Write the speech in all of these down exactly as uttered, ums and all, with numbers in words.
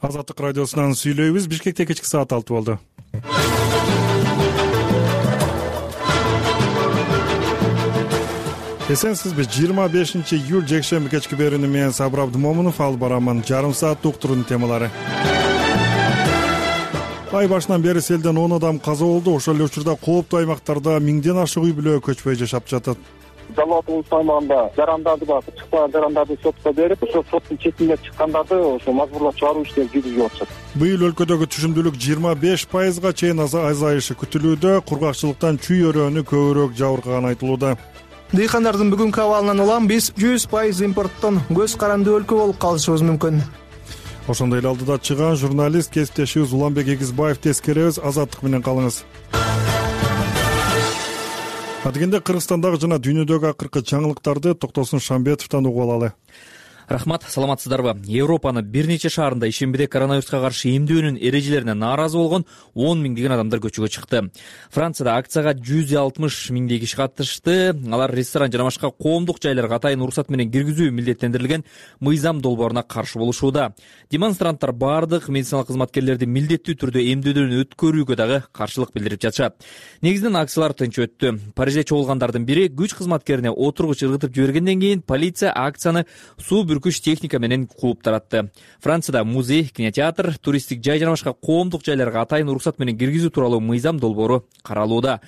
Азаттык радиосунан сүйлөйбүз. Бишкекте кечки саат алты болду. Эсенсизби? жыйырма бешинчи июль жекшемби кечки берүүнү менен Сабыр Абдымомунов алып барамын. Жарым саат уктуруунун темалары. Ай башынан бери селден он адам каза болду. Ошол эле учурда кооптуу аймактарда миңден ашык үй бүлө көчпөй жашап жатат. Жалал Абдулов аймагында жарандарды бар, чыкпаган жарандарды сотко берип, ошо соттун четинде чыккандарды ошо мажбурлап чыгаруу иштери жүргүзүлүп атышат. Быйыл өлкөдөгү түшүмдүүлүк жыйырма беш пайызга чейин азайышы күтүлүүдө. Кургакчылыктан чүй өрөөнү көбүрөөк жабыркаганы айтылууда. Дыйкандардын бүгүнкү абалынан улам биз жүз пайыз импорттон көз каранды өлкө болуп калышыбыз мүмкүн. Ошондой эле алдыда чыган журналист кесиптешибиз Уланбек Эгизбаевди эскеребиз. Азаттык менен калыңыз. Адегенде Кыргызстандагы жана дүйнөдөгү акыркы жаңылыктарды Токтосун Шамбетовдон угуп алалы. Рахмат, саламатсыздарбы? Европанын бир нече шаарында ишембиде коронавируска каршы эмдөөнүн эрежелерине нааразы болгон он миңдеген адамдар көчөгө чыкты. Францияда акцияга жүз алтымыш миңдей киши катышты. Алар ресторан жана башка коомдук жайларга атайын уруксат менен киргизүү милдеттендирилген мыйзам долбооруна каршы болушууда. Демонстранттар бардык медициналык кызматкерлерди милдеттүү түрдө эмдөөдөн өткөрүүгө дагы каршылык билдирип жатышат. Негизинен акциялар тынч өттү. Парижде чогулгандардын бири күч кызматкерине отургуч ыргытып жибергенден кийин полиция акцияны суу күч техника менен кууп таратты. Францияда музей, кинотеатр, туристтик жай жана башка коомдук жайларга атайын уруксат менен киргизүү тууралуу мыйзам долбоору каралууда.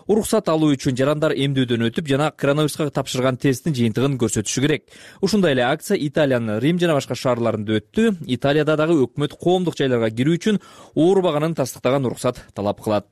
Уруксат алуу үчүн жарандар эмдөөдөн өтүп жана коронавируска тапшырган тесттин жыйынтыгын көрсөтүшү керек. Ушундай эле акция Италиянын Рим жана башка шаарларында өттү. Италияда дагы өкмөт коомдук жайларга кирүү үчүн оорубаганын тастыктаган уруксат талап кылат.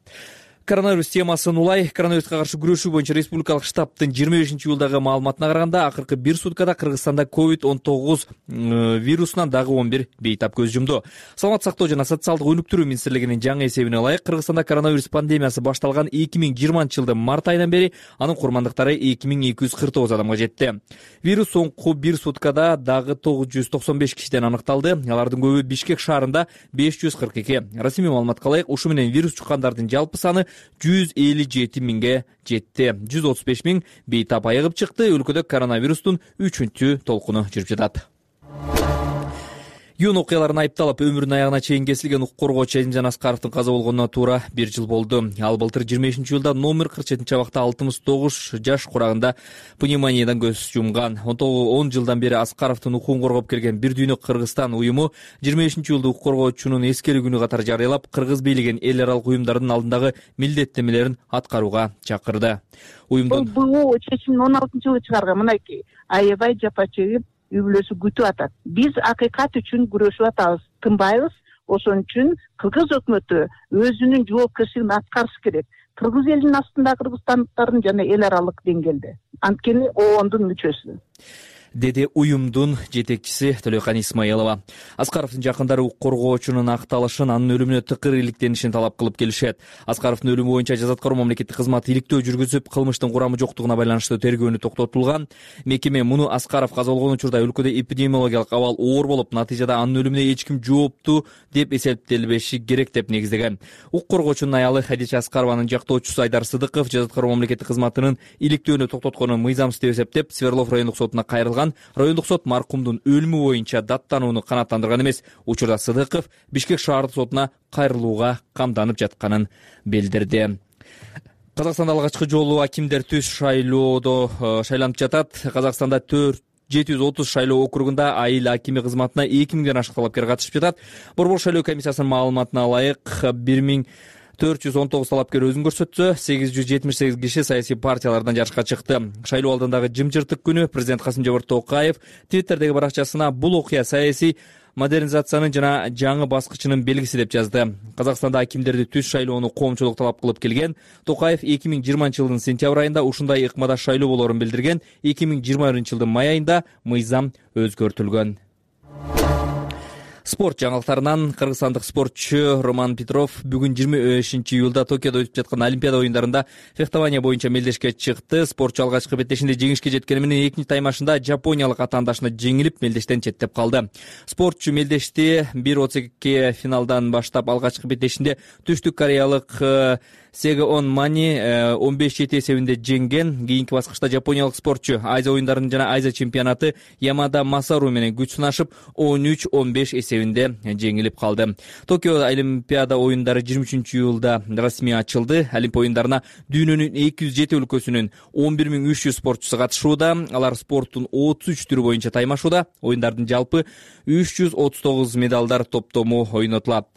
Коронавирус темасын улай. Коронавируска каршы күрөшүү боюнча республикалык штабтын жыйырма бешинчи июлдагы маалыматына караганда, акыркы бир суткада Кыргызстанда ковид он тогуз вирусунан дагы он бир бейтап көз жумду. Саламат сактоо жана социалдык өнүктүрүү министрлигинин жаңы эсебине ылайык, Кыргызстанда коронавирус пандемиясы башталган эки миң жыйырманчы жылдын март айынан бери анын курмандыктары эки миң эки жүз кырк тогуз адамга жетти. Вирус соңку бир суткада дагы тогуз жүз токсон беш кишиден аныкталды. Алардын көбү Бишкек шаарында беш жүз кырк эки. Расмий маалыматка ылайык, ушу менен вирус жуккандардын жалпы саны жүз элүү жети миңге жетти. жүз отуз беш миң бейтап айыгып чыкты. Өлкөдө коронавирустун үчүнчү толкуну жүрүп жатат. Юн окуяларын айыпталып, өмүрүнүн аягына чейин кесилген укук коргоочу Элимжан Аскаровдун каза болгонуна туура бир жыл болду. Ал былтыр жыйырма бешинчи июлда номер кырк жетинчи абакта алтымыш тогуз жаш курагында пневмониядан көз жумган. он жылдан бери Аскаровдун укугун коргоп келген Бир дүйнөк Кыргызстан уюму жыйырма бешинчи июлда укук коргоочунун эскерүү күнү катары жарыялап, кыргыз бийлигин эл аралык уюмдардын алдындагы милдеттенмелерин аткарууга чакырды. Уюмдун бул чечимин он алтынчы жылы чыгарган. Мынакей аябай жапа чегип үй бүлөсү күтүп атат. Биз акыйкат үчүн күрөшүп атабыз, тынбайбыз. Ошон үчүн кыргыз өкмөтү өзүнүн жоопкерчилигин аткарыш керек. Кыргыз элинин астында кыргызстандыктардын жана эл аралык деңгээлде. Анткени оондун мүчөсү, деди уюмдун жетекчиси Төлөкан Исмаилова. Аскаровдун жакындары укук коргоочунун акталышын, анын өлүмүнө тыкыр иликтенишин талап кылып келишет. Аскаровдун өлүмү боюнча жаза аткаруу мамлекеттик кызмат иликтөө жүргүзүп, кылмыштын курамы жоктугуна байланыштуу тергөөнү токтотулган. Мекеме муну Аскаров каза болгон учурда өлкөдө эпидемиологиялык абал оор болуп, натыйжада анын өлүмүнө эч ким жооптуу деп эсептелбеши керек деп негиздеген. Укук коргоочунун аялы Хадича Аскарованын жактоочусу Айдар Сыдыков жаза аткаруу мамлекеттик кызматынын иликтөөнү токтотконун мыйзамсыз деп эсептеп, Свердлов райондук сотуна кайрылган. Райондук сот маркумдун өлүмү боюнча даттанууну канааттандырган эмес. Учурда Сыдыков Бишкек шаардык сотуна кайрылууга камданып жатканын билдирди. Казакстанда алгачкы жолу акимдер түз шайлоодо шайланып жатат. Казакстанда төрт жети жүз отуз шайлоо округунда айыл акими кызматына эки миңден ашык талапкер катышып жатат. Борбор шайлоо комиссиясынын маалыматына ылайык, бир миң төрт жүз он тогуз талапкер өзүн көрсөтсө, сегиз жүз жетимиш сегиз киши саясий партиялардан жарышка чыкты. Шайлоо алдындагы жымжыртык күнү президент Касым-Жомарт Токаев Твиттердеги баракчасына бул окуя саясий модернизациянын жана жаңы баскычынын белгиси деп жазды. Казакстанда акимдерди түз шайлоону коомчулук талап кылып келген. Токаев эки миң жыйырманчы жылдын сентябрь айында ушундай ыкмада шайлоо болоорун билдирген. эки миң жыйырма биринчи жылдын май айында мыйзам өзгөртүлгөн. Спорт жаңылыктарынан кыргызстандык спортчу Роман Петров бүгүн жыйырма бешинчи июлда Токиодо өтүп жаткан Олимпиада оюндарында фехтование боюнча мелдешке чыкты. Спортчу алгачкы беттешинде жеңишке жеткени менен экинчи таймашында жапониялык атаандашына жеңилип, мелдештен четтеп калды. Спортчу мелдешти бир отуз эки финалдан баштап алгачкы беттешинде түштүк кореялык Сегеон Мани он беш жети эсебинде жеңген. Кийинки баскычта жапониялык спортчу Азия оюндарынын жана Азия чемпионаты Ямада Масару менен күч сынашып он үч он беш эсебинде жеңилип калды. Токио Олимпиада оюндары жыйырма үчүнчү июлда расмий ачылды. Олимпия оюндарына дүйнөнүн эки жүз жети өлкөсүнүн он бир миң үч жүз спортчусу катышууда. Алар спорттун отуз үч түрү боюнча таймашууда. Оюндардын жалпы үч жүз отуз тогуз медалдар топтому ойнотулат.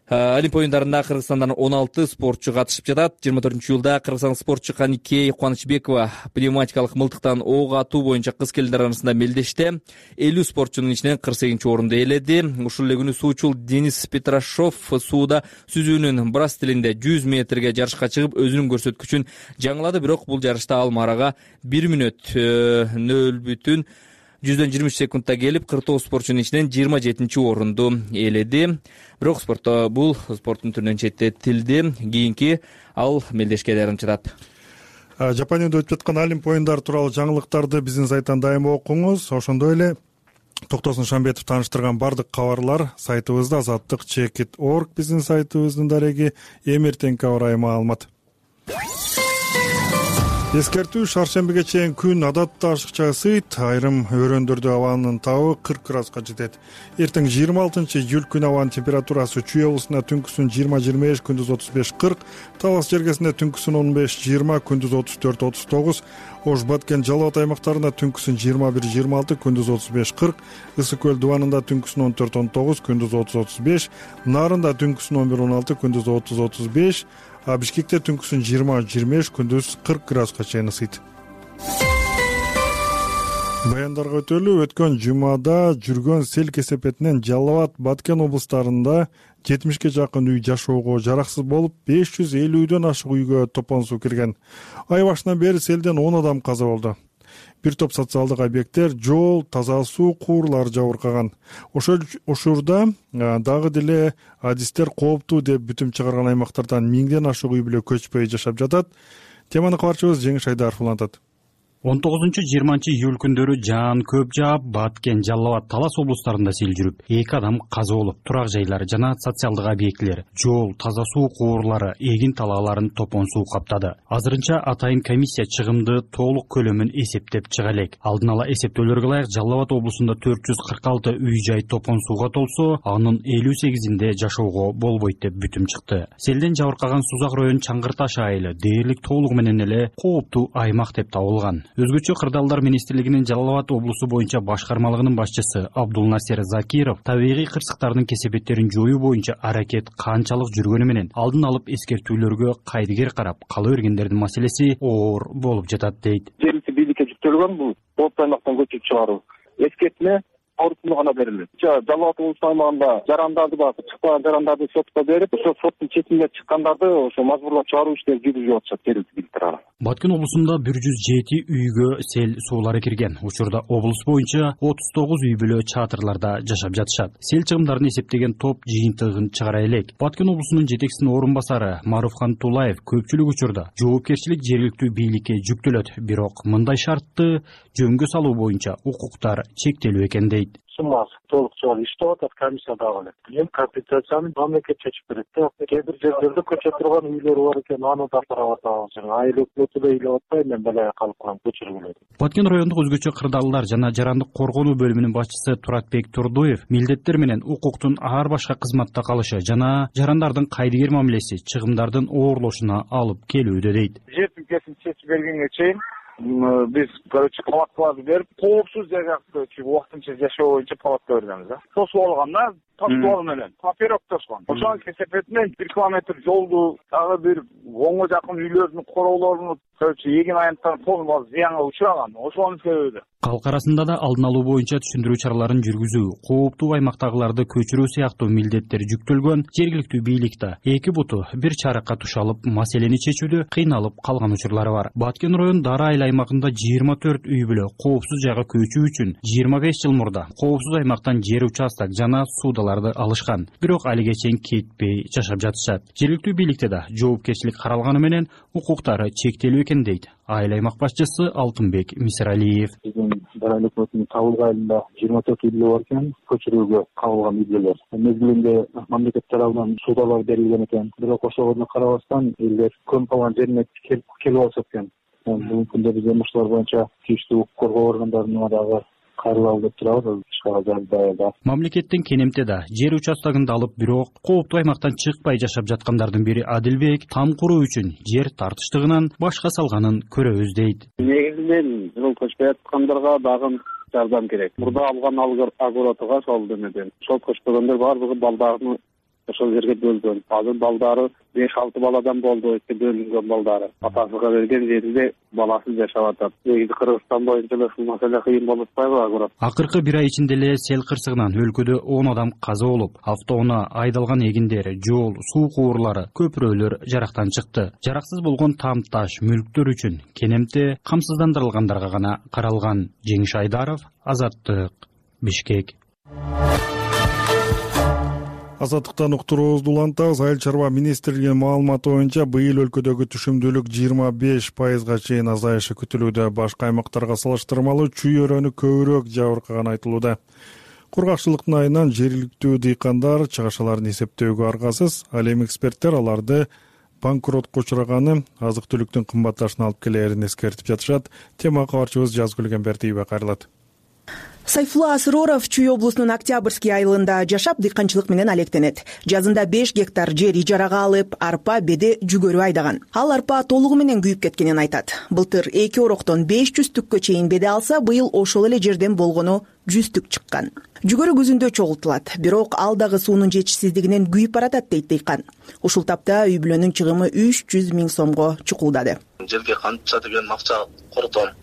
Олимпия оюндарында Кыргызстандан он алты спортчу катышып жатат. жыйырма төртүнчү июлда кыргызстандык спортчу Каникей Кубанычбекова пневматикалык мылтыктан ок атуу боюнча кыз келиндер арасында мелдеште элүү спортчунун ичинен кырк сегизинчи орунду ээледи. Ушул эле күнү суучул Денис Петрашов сууда сүзүүнүн брас стилинде жүз метрге жарышка чыгып өзүнүн көрсөткүчүн жаңылады. Бирок бул жарышта ал марага бир мүнөт нөл бүтүн жүздөн жыйырма үч секундта келип, кырк тогуз спортчунун ичинен жыйырма жетинчи орунду ээледи. Бирок спортто бул спорттун түрүнөн четтетилди. Кийинки ал мелдешке даярданып жатат. Жапонияда өтүп жаткан Олимпия оюндары тууралуу жаңылыктарды биздин сайттан дайыма окуңуз. Ошондой эле Токтосун Шамбетов тааныштырган бардык кабарлар сайтыбызда азаттык чекит точка орг биздин сайтыбыздын дареги. Эми эртеңки аба ырайы маалымат. Эскертүү: шаршембиге чейин күн адатта ашыкча ысыйт, айрым өрөөндөрдө абанын табы кырк градуска жетет. Эртең жыйырма алтынчы июль күн абанын температурасы Чүй облусунда түнкүсүн жыйырма жыйырма беш, күндүз отуз беш кырк, Талас жергесинде түнкүсүн он беш жыйырма, күндүз отуз төрт отуз тогуз, Ош, Баткен, Жалал Абад аймактарында түнкүсүн жыйырма бир жыйырма алты, күндүз отуз беш кырк, Ысык көл дубанында түнкүсүн он төрт он тогуз, күндүз отуз отуз беш, Нарында түнкүсүн он бир он алты, күндүз отуз отуз беш, а Бишкекте түнкүсүн жыйырма жыйырма беш, күндүз кырк градуска чейин ысыйт. Баяндарга өтөлү: өткөн жумада жүргөн сел кесепетинен Жалал Абад, Баткен облустарында жетимишке жакын үй жашоого жараксыз болуп, беш жүз элүүдөн ашык үйгө топон суу кирген. Ай башынан бери селден он адам каза болду. Бир топ социалдык объекттер, жол, таза суу куурлары жабыркаган. Ошол ошурда дагы деле адистер кооптуу деп бүтүм чыгарган аймактардан миңден ашык үй бүлө көчпөй жашап жатат. Теманы кабарчыбыз Жеңиш Айдаров улантат. он тогузунчу жыйырманчы июль күндөрү жаан көп жаап, Баткен, Жалал Абад, Талас облустарында сел жүрүп, эки адам каза болуп, турак жайлар жана социалдык объектилер, жол, таза суу куурлары, эгин талааларын топон суу каптады. Азырынча атайын комиссия чыгымды толук көлөмүн эсептеп чыга элек. Алдын ала эсептөөлөргө ылайык Жалал Абад облусунда төрт жүз кырк алты үй жай топон сууга толсо, анын элүү сегизинде жашоого болбойт деп бүтүм чыкты. Селден жабыркаган Сузак район Чаңгыр Таш айылы дээрлик толугу менен эле кооптуу аймак деп табылган. Өзгөчө Кырдаалдар министрлигинин Жалал Абад облусу боюнча башкармалыгынын башчысы Абдулнасер Закиров табигый кырсыктардын кесепеттерин жоюу боюнча аракет канчалык жүргөнү менен алдын алып эскертүүлөргө кайдыгер карап кала бергендердин маселеси оор болуп жатат дейт. Жергиликтүү бийликке жүктөлгөн бул кооптуу аймактан көчүп чыгаруу. Эскертме орусуна гана берилет. Жалал Абад облусу аймагында жарандарды бар, чыкпаган жарандарды сотко берип, ошо соттун четинде чыккандарды ошо мажбурлап чыгаруу иштери жүргүзүлүп атышат жергиликтүү бийликтер. Баткен облусунда бир жүз жети үйгө сел суулары кирген. Учурда облус боюнча отуз тогуз үй бүлө чатырларда жашап жатышат. Сел чыгымдарын эсептеген топ жыйынтыгын чыгара элек. Баткен облусунун жетекчисинин орун басары Маруфхан Тулаев көпчүлүк учурда жоопкерчилик жергиликтүү бийликке жүктөлөт, бирок мындай шартты жөнгө салуу боюнча укуктар чектелүү экен дейт. Суммасы толук чыгып иштеп атат, комиссия дагы эле. Эми компенсацияны мамлекет чечип берет да. Кээ бир жерлерде көчө турган үйлөр бар экен, аны да карап атабыз. Айыл өкмөтү да ыйлап атпай, мен балага калып калам, көчүрүлөт. Баткен райондук өзгөчө кырдаалдар жана жарандык коргонуу бөлүмүнүн башчысы Туратбек Турдуев милдеттер менен укуктун ар башка кызматта калышы жана жарандардын кайдыгер мамилеси чыгымдардын оорлошуна алып келүүдө дейт. Жер тилкесин чечип бергенге чейин биз короче палаткаларды берип, коопсуз жайга убактынча жашоо боюнча палатка беребиз да. Тосуп алгандар тосуп менен паперок тоскон. Ошонун кесепетинен бир километр жолду, дагы бир онго жакын үйлөрдүн короолорун короче эгин аянттар полный зыянга учураган. Ошонун себеби. Калк арасында да алдын алуу боюнча түшүндүрүү чараларын жүргүзүү, кооптуу аймактагыларды көчүрүү сыяктуу милдеттер жүктөлгөн жергиликтүү бийликте эки буту бир чаракка тушалып, маселени чечүүдө кыйналып калган учурлары бар. Баткен район Дара айыл аймагында жыйырма төрт үй бүлө коопсуз жайга көчүү үчүн жыйырма беш жыл мурда коопсуз аймактан жер участок жана суу акчаларды алышкан, бирок алиге чейин кетпей жашап жатышат. Жергиликтүү бийликте да жоопкерчилик каралганы менен укуктары чектелүү экен дейт айыл аймак башчысы Алтынбек Мисиралиев. Биздин дарайлык өкмөтүнүн табылган айылында жыйырма төрт үй бүлө бар экен, көчүрүүгө кабылган үй бүлөлөр. Мезгилинде мамлекет тарабынан суудалар берилген экен, бирок ошого карабастан элдер көнүп калган жерине келип алышат экен. Бүгүнкү күндө биз ушулар боюнча тийиштүү укук коргоо органдарына дагы кайрылалы деп турабыз. Мамлекеттин Кенемте да жер участогун алып, бирок кооптуу аймактан чыкпай жашап жаткандардын бири Адилбек там куруу үчүн жер тартыштыгынан башка салганын көрөбүз дейт. Негизинен жол көчпөй аткандарга дагы жардам керек. Мурда алган огородуга сол демеден жол көчпөгөндөр баардыгы балдарны ошол жерге бөлгөн. Азыр балдары беш алты баладан болду, эки бөлүнгөн балдары. Атасыга берген жеринде баласы жашап атат. Негизи Кыргызстан боюнча ушул маселе кыйын болуп атпайбы агурат? Акыркы бир ай ичинде эле сел кырсыгынан өлкөдө он адам каза болуп, автоунаа айдалган эгиндер, жол, суу куурлары, көпүрөлөр жарактан чыкты. Жараксыз болгон там таш мүлктөр үчүн Кенемте камсыздандырылгандарга гана каралган. Жеңиш Айдаров, Азаттык, Бишкек. Азаттыктан уктуруубузду улантабыз. Айыл чарба министрлигинин маалыматы боюнча быйыл өлкөдөгү түшүмдүүлүк жыйырма беш пайызга чейин азайышы күтүлүүдө. Башка аймактарга салыштырмалуу чүй өрөөнү көбүрөөк жабыркаганы айтылууда. Кургакчылыктын айынан жергиликтүү дыйкандар чыгашаларын эсептөөгө аргасыз. Ал эми эксперттер аларды банкротко учураганы, азык-түлүктүн кымбатташына алып келээрин эскертип жатышат. Тема кабарчыбыз Жазгүл Кембертиева кайрылат. Сайфулла Асыроров Чүй облусунун Октябрьский айылында жашап дыйканчылык менен алектенет. Жазында беш гектар жер ижарага алып, арпа, беде, жүгөрү айдаган. Ал арпа толугу менен күйүп кеткенин айтат. Былтыр эки ороктон беш жүз түккө чейин беде алса, быйыл ошол эле жерден болгону жүз түк чыккан. Жүгөрү күзүндө чогултулат, бирок ал дагы суунун жетишсиздигинен күйүп баратат дейт дыйкан. Ушул тапта үй бүлөнүн чыгымы үч жүз миң сомго чукулдады. Жерге канча деген акча кордом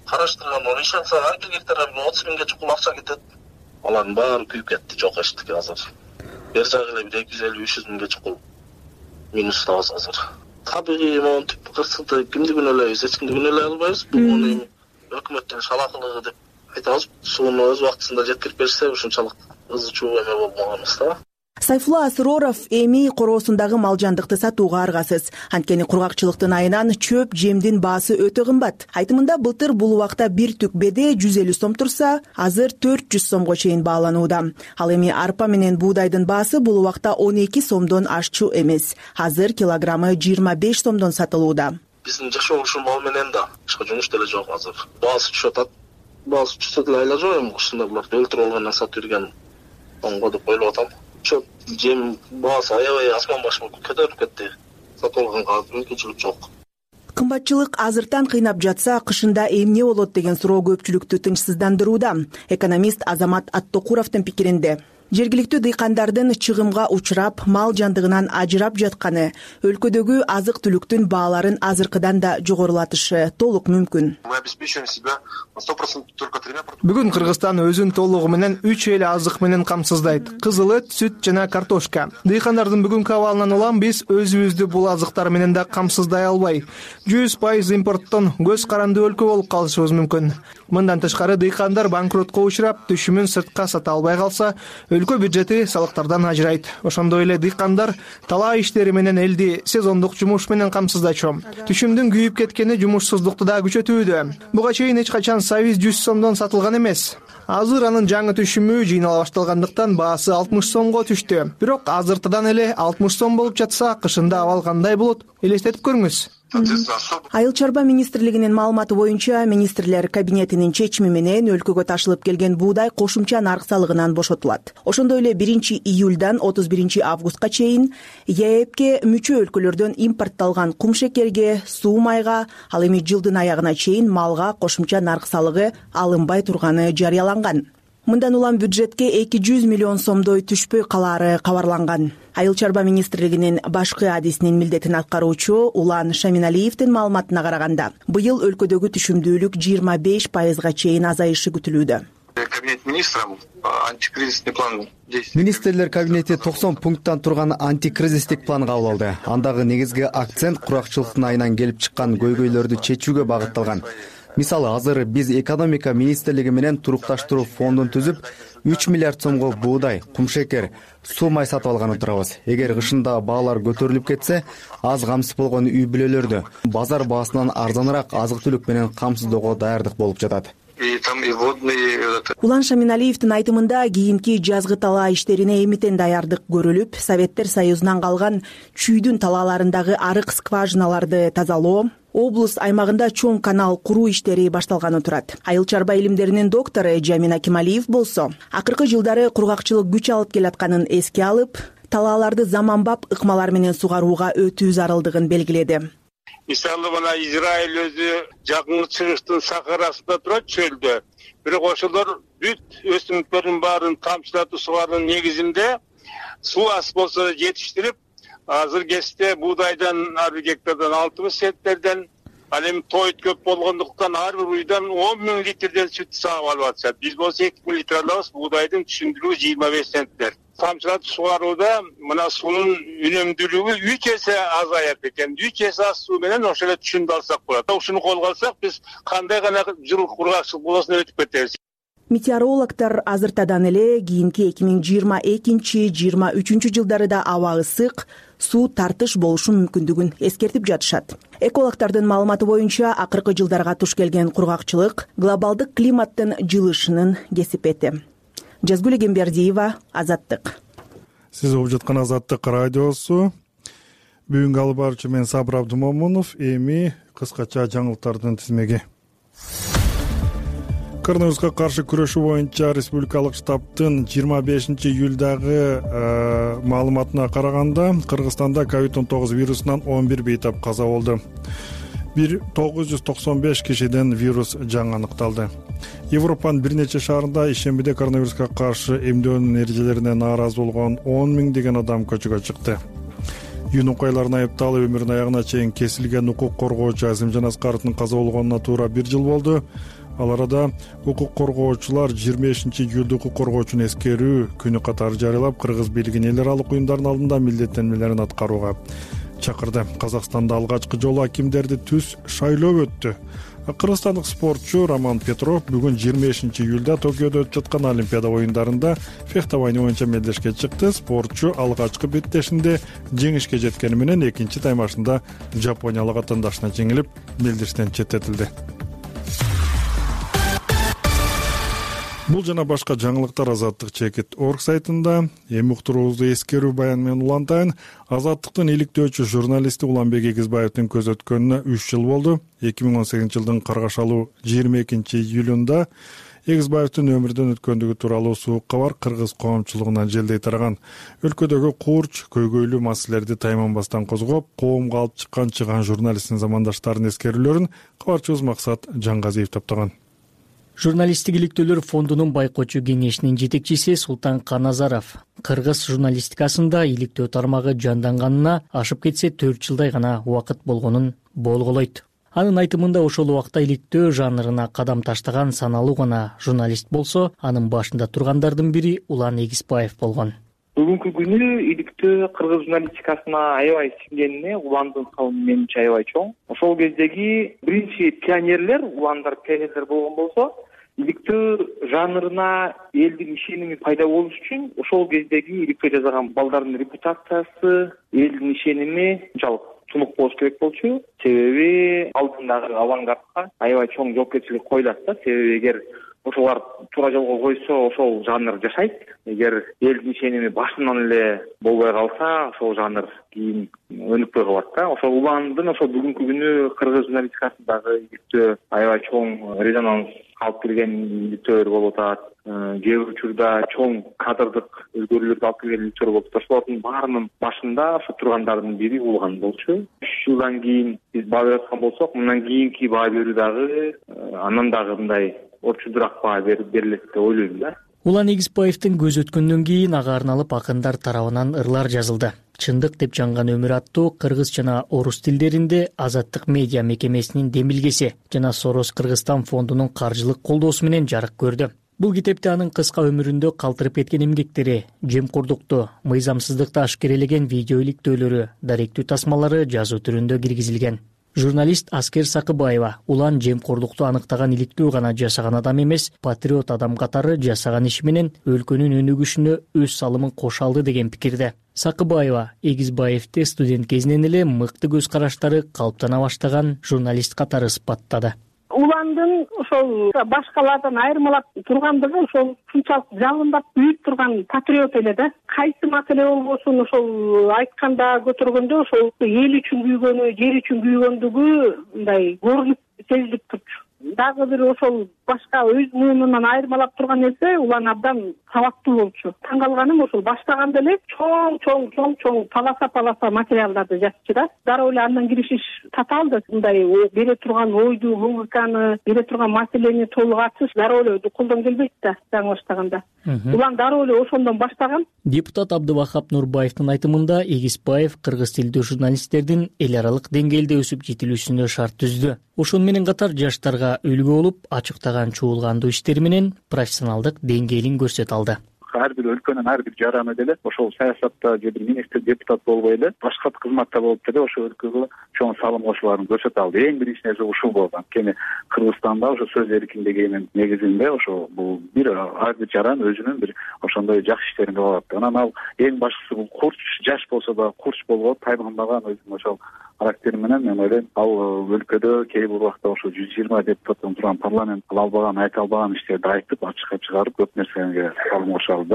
караштырган, иш алса анча гектарга отуз миңге чукул акча кетет. Алардын баары күйүп кетти, жок эчтик азыр. Бер жагы эле бир эки жүз элүү үч жүз миңге чукул минустабыз азыр. Табигый монтип кырсыкты кимдигин элебиз, эч кимдигин эле албайбыз. Бул эми өкмөттүн шалакылыгы деп айтабыз. Сууну өз убактысында жеткирип берсе, ушунчалык ызы чуу эме болмоганбыз да. Сайфулла Асыроров эми короосундагы мал жандыкты сатууга аргасыз. Анткени кургакчылыктын айынан чөп жемдин баасы өтө кымбат. Айтымында былтыр бул убакта бир түк беде жүз элүү сом турса, азыр төрт жүз сомго чейин бааланууда. Ал эми арпа менен буудайдын баасы бул убакта он эки сомдон ашчу эмес. Азыр килограммы жыйырма беш сомдон сатылууда. Биздин жашоо ушул мал менен да башка жумуш деле жок азыр. Баасы түшүп атат. Баасы түшсө деле айла жок эми ушундай буларды өлтүрүп алгандан сатып жүргөн оңго деп ойлоп атам. Чөп жем баасы аябай асман башына көтөрүлүп кетти. Сатып алганга мүмкүнчүлүк жок. Кымбатчылык азыртан кыйнап жатса, кышында эмне болот деген суроо көпчүлүктү тынчсыздандырууда. Экономист Азамат Аттокуровдун пикиринде, жергиликтүү дыйкандардын чыгымга учурап, мал жандыгынан ажырап жатканы өлкөдөгү азык-түлүктүн бааларын азыркыдан да жогорулатышы толук мүмкүн. Бүгүн Кыргызстан өзүн толугу менен үч эл азык менен камсыздайт: кызыл эт, сүт жана картошка. Дыйкандардын бүгүнкү абалынан улам биз өзүбүздү бул азыктар менен да камсыздай албай, жүз пайыз импорттон көз каранды өлкө болуп калышыбыз мүмкүн. Мындан тышкары дыйкандар банкротко учурап, түшүмүн сыртка сата албай калса, өлкө бюджети салыктардан ажырайт. Ошондой эле дыйкандар талаа иштери менен элди сезондук жумуш менен камсыздачу. Түшүмдүн күйүп кеткени жумушсуздукту да күчөтүүдө. Буга чейин эч качан сабиз жүз сомдон сатылган эмес. Азыр анын жаңы түшүмү жыйнала башталгандыктан баасы алтымыш сомго түштү. Бирок азыртыдан эле алтымыш сом болуп жатса, кышында абал кандай болот? Элестетип көрүңүз. Айыл чарба министрлигинин маалыматы боюнча, министрлер кабинетинин чечими менен өлкөгө ташылып келген буудай кошумча нарк салыгынан бошотулат. Ошондой эле биринчи июлдан отуз биринчи августка чейин ЕЭПке мүчө өлкөлөрдөн импортталган кумшекерге, суу майга, ал эми жылдын аягына чейин малга кошумча нарк салыгы алынбай турганы жарыяланган. Мындан улам бюджетке эки жүз миллион сомдой түшпөй калаары кабарланган. Айыл чарба министрлигинин башкы адисинин милдетин аткаруучу Улан Шаминалиевдин маалыматына караганда, быйыл өлкөдөгү түшүмдүүлүк жыйырма беш пайызга чейин азайышы күтүлүүдө. Кабинет министров антикризисный план. Министрлер кабинети токсон пункттан турган антикризистик план кабыл алды. Андагы негизги акцент куракчылыктын айынан келип чыккан көйгөйлөрдү чечүүгө багытталган. Мисалы, азыр биз экономика министрлиги менен турукташтыруу фондун түзүп, үч миллиард сомго буудай, кумшекер, суу май сатып алганы турабыз. Эгер кышында баалар көтөрүлүп кетсе, аз камсыз болгон үй бүлөлөрдү базар баасынан арзаныраак азык-түлүк менен камсыздоого даярдык болуп жатат. И там и водные. Улан Шаминалиевдин айтымында кийинки жазгы талаа иштерине эмитен даярдык көрүлүп, Советтер Союзунан калган чүйдүн талааларындагы арык скважиналарды тазалоо, облус аймагында чоң канал куруу иштери башталганы турат. Айыл чарба илимдеринин доктору Жамин Акималиев болсо, акыркы жылдары кургакчылык күч алып келатканын эске алып, талааларды заманбап ыкмалар менен сугарууга өтүү зарылдыгын белгиледи. Мисалы мына Израиль өзү жакынкы чыгыштын сахарасында турат, чөлдө. Бирок ошолор бүт өсүмдүктөрдүн баарын тамчылатып сугаруунун негизинде суу аз болсо да жетиштирип, азыр кезде буудайдан ар бир гектардан алты миң центнерден, ал эми тоют көп болгондуктан ар бир уйдан он миң литрден сүт сагып алып атышат. Биз болсо эки миң литр алабыз, буудайдын түшүндүрүгү жыйырма беш центнер. Тамчылатып сугарууда мына суунун үнөмдүүлүгү үч эсе азаят экен. үч эсе аз суу менен ошол эле түшүндү алсак болот. Ушуну колго алсак, биз кандай гана жыл кургакчылык болосун өтүп кетебиз. Метеорологдор азыртадан эле кийинки эки миң жыйырма экинчи жыйырма үчүнчү жылдары да аба ысык, суу тартыш болушу мүмкүндүгүн эскертип жатышат. Экологдордун маалыматы боюнча, акыркы жылдарга туш келген кургакчылык глобалдык климаттын жылышынын кесипети. Жазгүл Гембердиева, Азаттык. Сиз угуп жаткан Азаттык радиосу. Бүгүнкү алып баруучу мен Сабыр Абдумомунов. Эми кыскача жаңылыктардын тизмеги. Коронавируска каршы күрөшүү боюнча республикалык штабтын жыйырма бешинчи июлдагы маалыматына караганда, Кыргызстанда ковид он тогуз вирусунан он бир бейтап каза болду. бир тогуз жүз токсон беш кишиден вирус жаңы аныкталды. Европанын бир нече шаарында ишембиде коронавируска каршы эмдөөнүн эрежелерине нааразы болгон он миңдеген адам көчөгө чыкты. Юн окуяларына айыпталып өмүрүнүн аягына чейин кесилген укук коргоочу Азимжан Аскаровдун каза болгонуна туура бир жыл болду. Ал арада укук коргоочулар жыйырма бешинчи июлда укук коргоочуну эскерүү күнү катары жарыялап, кыргыз бийлигин эл аралык уюмдардын алдында милдеттенмелерин аткарууга чакырды. Казакстанда алгачкы жолу акимдерди түз шайлоо өттү. Кыргызстандык спортчу Роман Петров бүгүн жыйырма бешинчи июлда Токиодо өтүп жаткан Олимпиада оюндарында фехтование боюнча мелдешке чыкты. Спортчу алгачкы беттешинде жеңишке жеткени менен экинчи таймашында жапониялык атаандашына жеңилип, мелдештен четтетилди. Бул жана башка жаңылыктар Азаттык чекит орг сайтында. Эми уктуруубузду эскерүү баян менен улантайын. Азаттыктын иликтөөчү журналисти Уланбек Эгизбаевдин көз өткөнүнө үч жыл болду. эки миң он сегизинчи жылдын каргашалуу жыйырма экинчи июлунда Эгизбаевдин өмүрдөн өткөндүгү тууралуу суук кабар кыргыз коомчулугуна желдей тараган. Өлкөдөгү куурч, көйгөйлүү маселелерди тайманбастан козгоп, коомго алып чыккан чыган журналисттин замандаштарынын эскерүүлөрүн кабарчыбыз Максат Жангазиев топтогон. Журналисттик иликтөөлөр фондунун байкоочу кеңешинин жетекчиси Султан Каназаров кыргыз журналистикасында иликтөө тармагы жанданганына ашып кетсе төрт жылдай гана убакыт болгонун болголойт. Анын айтымында ошол убакта иликтөө жанрына кадам таштаган саналуу гана журналист болсо, анын башында тургандардын бири Улан Эгизбаев болгон. Бүгүнкү күнү иликтөө кыргыз журналистикасына аябай сиңгенине Уландын салымы менимче аябай чоң. Ошол кездеги биринчи пионерлер, Уландар пионерлер болгон болсо, иликтөө жанрына элдин ишеними пайда болуш үчүн ошол кездеги иликтөө жасаган балдардын репутациясы, элдин ишеними жалпы тунук болуш керек болчу. Себеби алдындагы авангардка аябай чоң жоопкерчилик коюлат да. Себеби эгер ошолар туура жолго койсо, ошол жанр жашайт. Эгер элдин ишеними башынан эле болбой калса, ошол жанр кийин өнүкпөй калат да. Ошол Уландын ошол бүгүнкү күнү кыргыз журналистикасындагы иликтөө аябай чоң резонанс алып келген иликтөөлөр болуп атат. Кээ бир учурда чоң кадрдык өзгөрүүлөрдү алып келген иликтөөлөр болуп атат. Ошолордун баарынын башында ошо тургандардын бири Улан болчу. Үч жылдан кийин биз баа берип аткан болсок, мындан кийинки баа берүү дагы андан дагы мындай орчудураак баа берилет деп ойлойм да. Улан Эгизбаевдин көз өткөндөн кийин ага арналып акындар тарабынан ырлар жазылды. Чындык деп жанган өмүр аттуу кыргыз жана орус тилдеринде Азаттык медиа мекемесинин демилгеси жана Сорос Кыргызстан фондунун каржылык колдоосу менен жарык көрдү. Бул китепте анын кыска өмүрүндө калтырып кеткен эмгектери, жемкордукту, мыйзамсыздыкты ашкерелеген видео иликтөөлөрү, даректүү тасмалары жазуу түрүндө киргизилген. Журналист Аскер Сакыбаева улан жемкорлукту аныктаган иликтөө гана жашаган адам эмес, патриот адам катары жасаган иши менен өлкөнүн өнүгүшүнө өз салымын кошо алды деген пикирде. Сакыбаева Эгизбаевди студент кезинен эле мыкты көз караштары калыптана баштаган журналист катары сыпаттады. Уландын ошол башкалардан айырмалап тургандыгы ошол ушунчалык жалындап үйүп турган патриот эле да. Кайсы маселе болбосун ошол айтканда көтөргөндө ошол эл үчүн күйгөнү, жер үчүн күйгөндүгү мындай көрүнүп сезилип турчу. Дагы бир ошол башка өз муунунан айырмалап турган нерсе улан абдан сабактуу болчу. Таң калганым ошол баштаганда эле чоң чоң чоң чоң паласа паласа материалдарды жазчу да. Дароо эле андан киришиш татаалды. Мындай бере турган ойду, логиканы, бере турган маселени толук ачыш дароо эле колдон келбейт да жаңы баштаганда. Улан дароо эле ошондон баштаган. Депутат Абдывахап Нурбаевдин айтымында Эгизбаев кыргыз тилдүү журналисттердин эл аралык деңгээлде өсүп жетилүүсүнө шарт түздү. Ошону менен катар жаштарга үлгү болуп, ачыктаган чуулгандуу иштери менен профессионалдык деңгээлин көрсөтө алды. Ар бир өлкөнүн ар бир жараны деле ошол саясатта же бир министр, депутат болбой эле башка кызматта болуп деле ошол өлкөгө чоң салым кошууларын көрсөтө алды. Эң биринчи нерсе ушул болду. Анткени Кыргызстанда ошо сөз эркиндигинин негизинде ошо бул бир ар бир жаран өзүнүн бир ошондой жакшы иштерин кыла алат. Анан ал эң башкысы бул курч, жаш болсо да курч болуп тайманбаган өзүнүн ошол характери менен мен ойлойм ал өлкөдө кээ бир убакта ошо жүз жыйырма депутаттан турган парламент кыла албаган, айта албаган иштерди айтып, ачыкка чыгарып көп нерсеге салым кошо алды.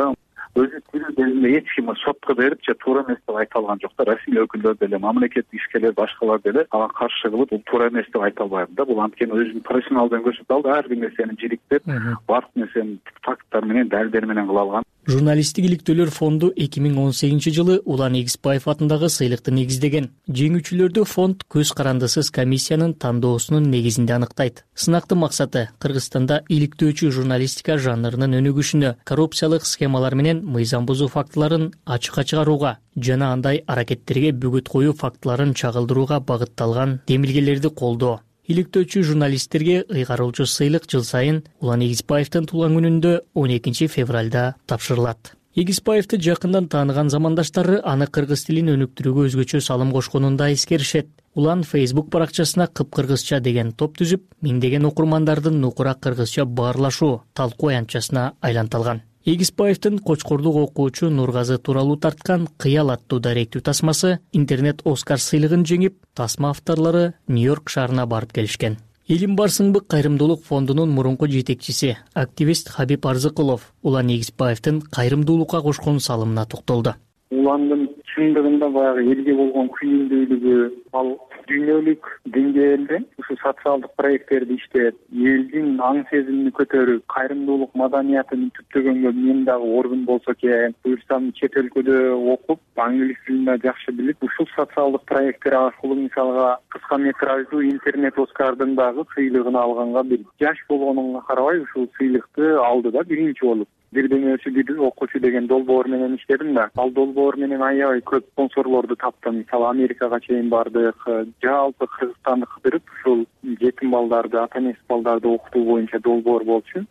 Өзү тилин кезинде эч ким сотко берип же туура эмес деп айта алган жок да. Расмий өкүлдөр деле, мамлекеттик ишкерлер, башкалар деле ага каршы кылып, бул туура эмес деп айта албайбы да. Бул анткени өзүнүн профессионалдыгын көрсөтө алды. Ар бир нерсени жириктеп, баардык нерсени факттар менен, далилдер менен кыла алган. Журналисттик иликтөөлөр фонду эки миң он сегизинчи жылы Улан Эгизбаев атындагы сыйлыкты негиздеген. Жеңүүчүлөрдү фонд көз карандысыз комиссиянын тандоосунун негизинде аныктайт. Сынактын максаты Кыргызстанда иликтөөчү журналистика жанрынын өнүгүшүнө, коррупциялык схемалар менен мыйзам бузуу фактыларын ачыкка чыгарууга жана андай аракеттерге бөгөт коюу фактыларын чагылдырууга багытталган демилгелерди колдоо. Иликтөөчү журналисттерге ыйгарылчу сыйлык жыл сайын Улан Эгизбаевдин туулган күнүндө он экинчи февралда тапшырылат. Эгизбаевди жакындан тааныган замандаштары аны кыргыз тилин өнүктүрүүгө өзгөчө салым кошконун да эскеришет. Улан Facebook баракчасына кыпкыргызча деген топ түзүп, миңдеген окурмандардын нукура кыргызча баарлашуу, талкуу аянтчасына айлантылган. Эгизбаевдин Кочкордук окуучу Нургазы тууралуу тарткан «Кыял» аттуу даректүү тасмасы интернет Оскар сыйлыгын жеңип, тасма авторлору Нью-Йорк шаарына барып келишкен. Элим барсыңбы кайрымдуулук фондунун мурунку жетекчиси, активист Хабиб Арзыкулов Улан Эгизбаевдин кайрымдуулукка кошкон салымына токтолду. Уландын чындыгында баягы элге болгон күйүндүүлүгү ал дүйнөлүк деңгээлде ушу социалдык проекттерди иштеп, элдин аң сезимин көтөрүп, кайрымдуулук маданиятын түптөгөнгө мен дагы ордун болсо экен, буюрсам чет өлкөдө окуп, англис тилин да жакшы билип, ушул социалдык проекттер аркылуу мисалга кыска метраждуу интернет Оскардын дагы сыйлыгын алганга бир жаш болгонуна карабай ушул сыйлыкты алды да биринчи болуп. Бирден өсү бир окуучу деген долбоор менен иштедим да. Ал долбоор менен аябай көп спонсорлорду таптым. Мисалы Америкага чейин бардык. Жалпы Кыргызстанды кыдырып, ушул жетим балдарды, ата-энесиз балдарды окутуу боюнча долбоор болчу.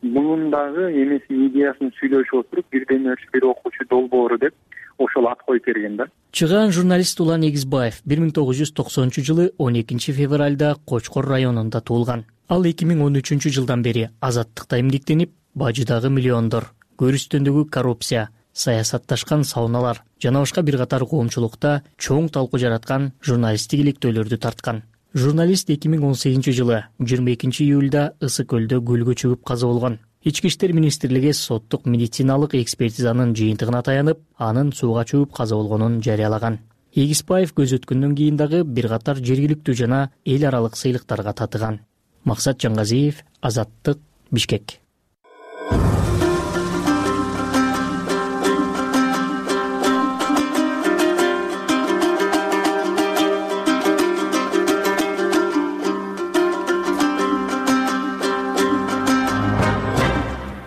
Мунун дагы эмесин идеясын сүйлөшүп отуруп, бирден өсү бир окуучу долбоору деп ошол ат коюп берген да. Чыгаан журналист Улан Эгизбаев бир миң тогуз жүз токсонунчу жылы он экинчи февралда Кочкор районунда туулган. Ал эки миң он үчүнчү жылдан бери азаттыкта эмгектенип, бажыдагы миллиондор, көрүстөндөгү коррупция, саясатташкан сауналар жана башка бир катар коомчулукта чоң талкуу жараткан журналисттик иликтөөлөрдү тарткан. Журналист эки миң он сегизинчи жылы жыйырма экинчи июлда Ысык көлдө көлгө чөгүп каза болгон. Ички иштер министрлиги соттук медициналык экспертизанын жыйынтыгына таянып, анын сууга чөгүп каза болгонун жарыялаган. Эгизбаев көз өткөндөн кийин дагы бир катар жергиликтүү жана эл аралык сыйлыктарга татыган. Максат Жангазиев, Азаттык, Бишкек.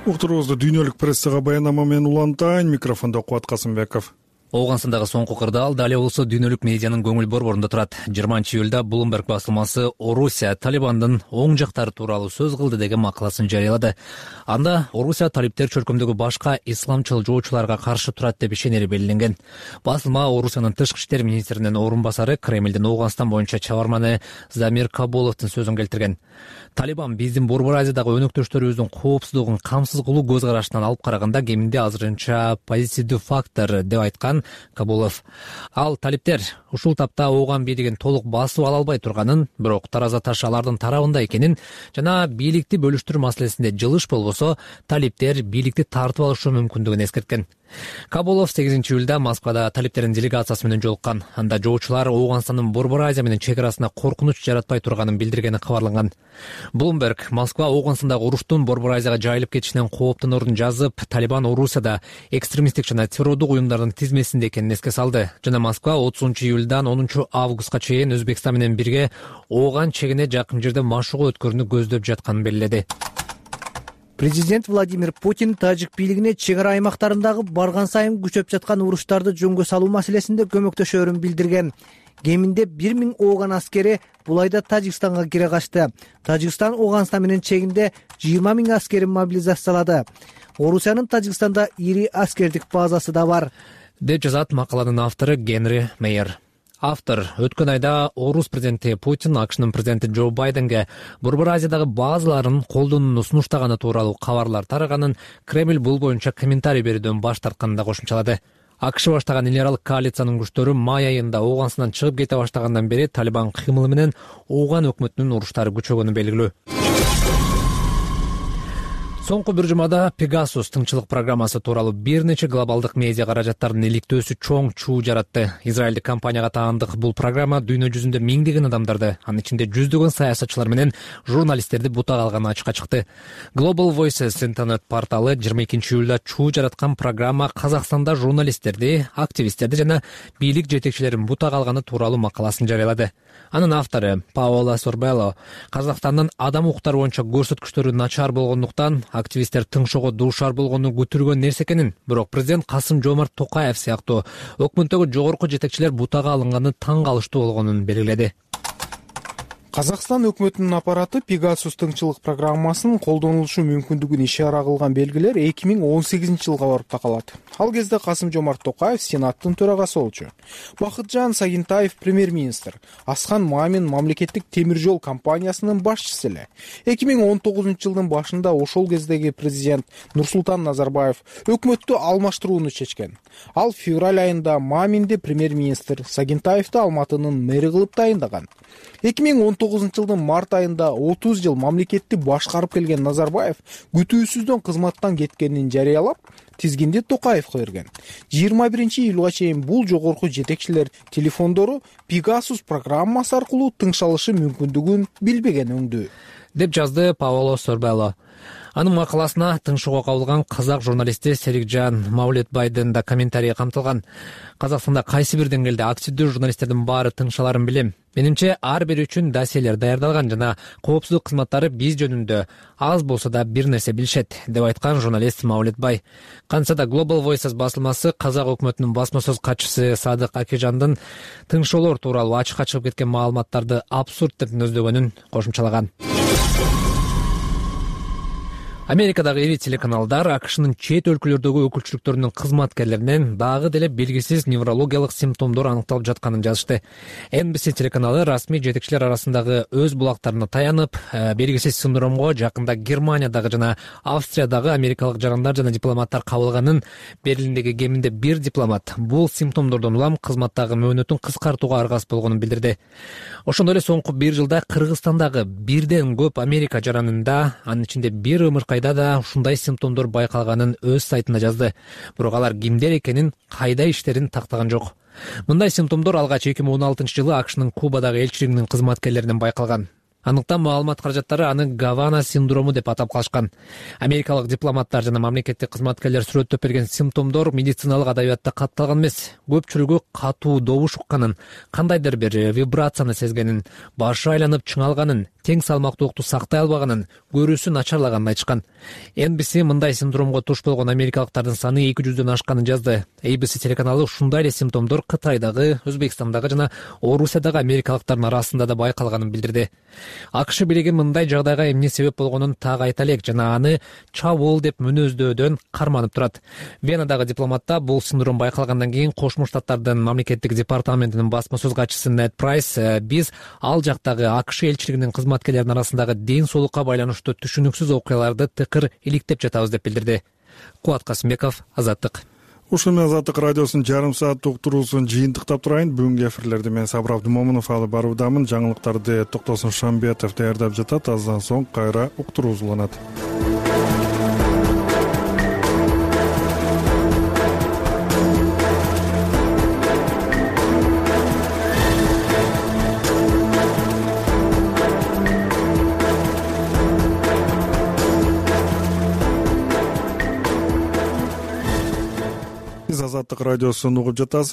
Уктуруубузду дүйнөлүк прессага баянама менен улантайын. Микрофондо Кубат Касымбеков. Оогунстандагы соңку кырдаал дал эле болсо дүйнөлүк медианын көңүл борборунда турат. жыйырманчы июлда Bloomberg басылмасы Орусия Талибандын оң жактары тууралуу сөз кылды деген макаласын жарыялады. Анда Орусия талиптер чөлкөмдөгү башка исламчыл жоочуларга каршы турат деп ишенери белгиленген. Басылма Орусиянын тышкы иштер министринин орун басары, Кремлдин Оогунстан боюнча чабарманы Замир Кабуловдун сөзүн келтирген. Талибан биздин Борбор Азиядагы өнөктөштөрүбүздүн коопсуздугун камсыз кылуу көз карашынан алып караганда кеминде азырынча позитивдүү фактор деп айткан Кабулов. Ал талиптер ушул тапта ооған бийлигин толук басып ала албай турганын, бирок тараза таш алардын тарабында экенин жана бийликти бөлүштүрүү маселесинде жылыш болбосо талиптер бийликти тартып алышы мүмкүндүгүн эскерткен. Кабулов сегизинчи июлда Москвада талиптердин делегациясы менен жолуккан. Анда жоочулар Оогунстандын Борбор Азия менен чек арасына коркунуч жаратпай турганын билдиргени кабарланган. Bloomberg Москва Оогунстандагы уруштун Борбор Азияга жайылып кетишинен кооптонорун жазып, Талибан Орусияда экстремисттик жана террордук уюмдардын тизмесинде экенин эске салды. Жана Москва отузунчу июлдан онунчу августка чейин Өзбекстан менен бирге Ооган чегине жакын жерде машыгуу өткөрүүнү көздөп жатканын белгиледи. Президент Владимир Путин тажик бийлигине чек ара аймактарындагы барган сайын күчөп жаткан уруштарды жөнгө салуу маселесинде көмөктөшөрүн билдирген. Кеминде бир миң Ооган аскери бул айда Тажикстанга кире качты. Тажикстан Оогунстан менен чегинде жыйырма миң аскерин мобилизациялады. Орусиянын Тажикстанда ири аскердик базасы да бар, деп жазат макаланын автору Генри Мейер. Автор өткөн айда Орус президенти Путин АКШнын президенти Джо Байденге Борбор Азиядагы базаларын колдонууну сунуштаганы тууралуу кабарлар тараганын, Кремль бул боюнча комментарий берүүдөн баш тартканын да кошумчалады. АКШ баштаган эл аралык коалициянын күчтөрү май айында Оогунстандан чыгып кете баштагандан бери Талибан кыймылы менен Ооган өкмөтүнүн уруштары күчөгөнү белгилүү. Соңку бир жумада Pegasus тыңчылык программасы тууралуу бир нече глобалдык медиа каражаттардын иликтөөсү чоң чуу жаратты. Израилдик компанияга таандык бул программа дүйнө жүзүндө миңдеген адамдарды, анын ичинде жүздөгөн саясатчылар менен журналисттерди бутак алганы ачыкка чыкты. Global Voices интернет порталы жыйырма экинчи июлда чуу жараткан программа Казакстанда журналисттерди, активисттерди жана бийлик жетекчилерин бутак алганы тууралуу макаласын жарыялады. Анын автору Паоло Сорбелло Казакстандын адам укуктары боюнча көрсөткүчтөрү начар болгондуктан активисттер тыңшоого дуушар болгону күтүлгөн нерсе экенин, бирок президент Касым Жомарт Токаев сыяктуу өкмөттөгү жогорку жетекчилер бутага алынганы таң калыштуу болгонун белгиледи. Казакстан өкмөтүнүн аппараты Pegasus тыңчылык программасынын колдонулушу мүмкүндүгүн ишара кылган белгилер эки миң он сегизинчи жылга барып такалат. Ал кезде Касым Жомарт Токаев Сенаттын төрагасы болчу. Бакытжан Сагинтаев премьер-министр, Аскан Мамин мамлекеттик темир жол компаниясынын башчысы эле. эки миң он тогузунчу жылдын башында ошол кездеги президент Нурсултан Назарбаев өкмөттү алмаштырууну чечкен. Ал февраль айында Маминди премьер-министр, Сагинтаевди Алматынын мэри кылып дайындаган. эки миң он тогузунчу жылдын март айында отуз жыл мамлекетти башкарып келген Назарбаев күтүүсүздөн кызматтан кеткенин жарыялап, тизгинди Токаевге берген. жыйырма биринчи июлга чейин бул жогорку жетекчилер телефондору Pegasus программасы аркылуу тыңшалышы мүмкүндүгүн билбеген өңдүү, деп жазды Паоло Сорбелло. Анын макаласына тыңшоого кабылган казак журналисти Серикжан Маулетбайдын да комментарийи камтылган. Казакстанда кайсы бир деңгээлде активдүү журналисттердин баары тыңшаларын билем. Менимче ар бири үчүн досьелер даярдалган жана коопсуздук кызматтары биз жөнүндө аз болсо да бир нерсе билишет, деп айткан журналист Маулетбай. Кантса да Global Voices басылмасы казак өкмөтүнүн басма сөз катчысы Садык Акижандын тыңшоолор тууралуу ачыкка чыгып кеткен маалыматтарды абсурд деп нөздөгөнүн кошумчалаган. Америкадагы ири телеканалдар АКШнын чет өлкөлөрдөгү өкүлчүлүктөрүнүн кызматкерлеринен дагы деле белгисиз неврологиялык симптомдор аныкталып жатканын жазышты. Эн Би Си телеканалы расмий жетекчилер арасындагы өз булактарына таянып, белгисиз синдромго жакында Германиядагы жана Австриядагы америкалык жарандар жана дипломаттар кабылганын, Берлиндеги кеминде бир дипломат бул симптомдордон улам кызматтагы мөөнөтүн кыскартууга аргасыз болгонун билдирди. Ошондой эле соңку бир жылда Кыргызстандагы бирден көп Америка жаранында, анын ичинде бир ымыркайда да ушундай симптомдор байкалганын өз сайтында жазды. Бирок алар кимдер экенин, кайда иштерин тактаган жок. Мындай симптомдор алгач эки миң он алтынчы жылы АКШнын Кубадагы элчилигинин кызматкерлеринен байкалган. Андыктан маалымат каражаттары аны Гавана синдрому деп атап калышкан. Америкалык дипломаттар жана мамлекеттик кызматкерлер сүрөттөп берген симптомдор медициналык адабиятта катталган эмес. Көпчүлүгү катуу добуш укканын, кандайдыр бир вибрацияны сезгенин, башы айланып чыңалганын, тең салмактуулукту сактай албаганын, көрүүсү начарлаганын айтышкан. Эн би си мындай синдромго туш болгон америкалыктардын саны эки жүздөн ашканын жазды. эй би си телеканалы ушундай эле симптомдор Кытайдагы, Өзбекстандагы жана Орусиядагы америкалыктардын арасында да байкалганын билдирди. АКШ бийлиги мындай жагдайга эмне себеп болгонун так айта элек жана аны чабуул деп мүнөздөдөн карманып турат. Венадагы дипломатта бул синдром байкалгандан кийин Кошмо Штаттардын мамлекеттик департаментинин басма сөз катчысы Нед Прайс биз ал жактагы АКШ элчилигинин кызматкерлеринин арасындагы ден соолукка байланыштуу түшүнүксүз окуяларды тыкыр иликтеп жатабыз деп билдирди. Кубат Касымбеков, Азаттык. Ушул менен Азаттык радиосунун жарым сааттык уктуруусун жыйынтыктап турайын. Бүгүнкү эфирлерди мен Сабыр Абдымомунов алып баруудамын. Жаңылыктарды Токтосун Шамбетов даярдап жатат. Аздан соң кайра уктуруу уланат. Азаттык радиосун угуп жатасыз.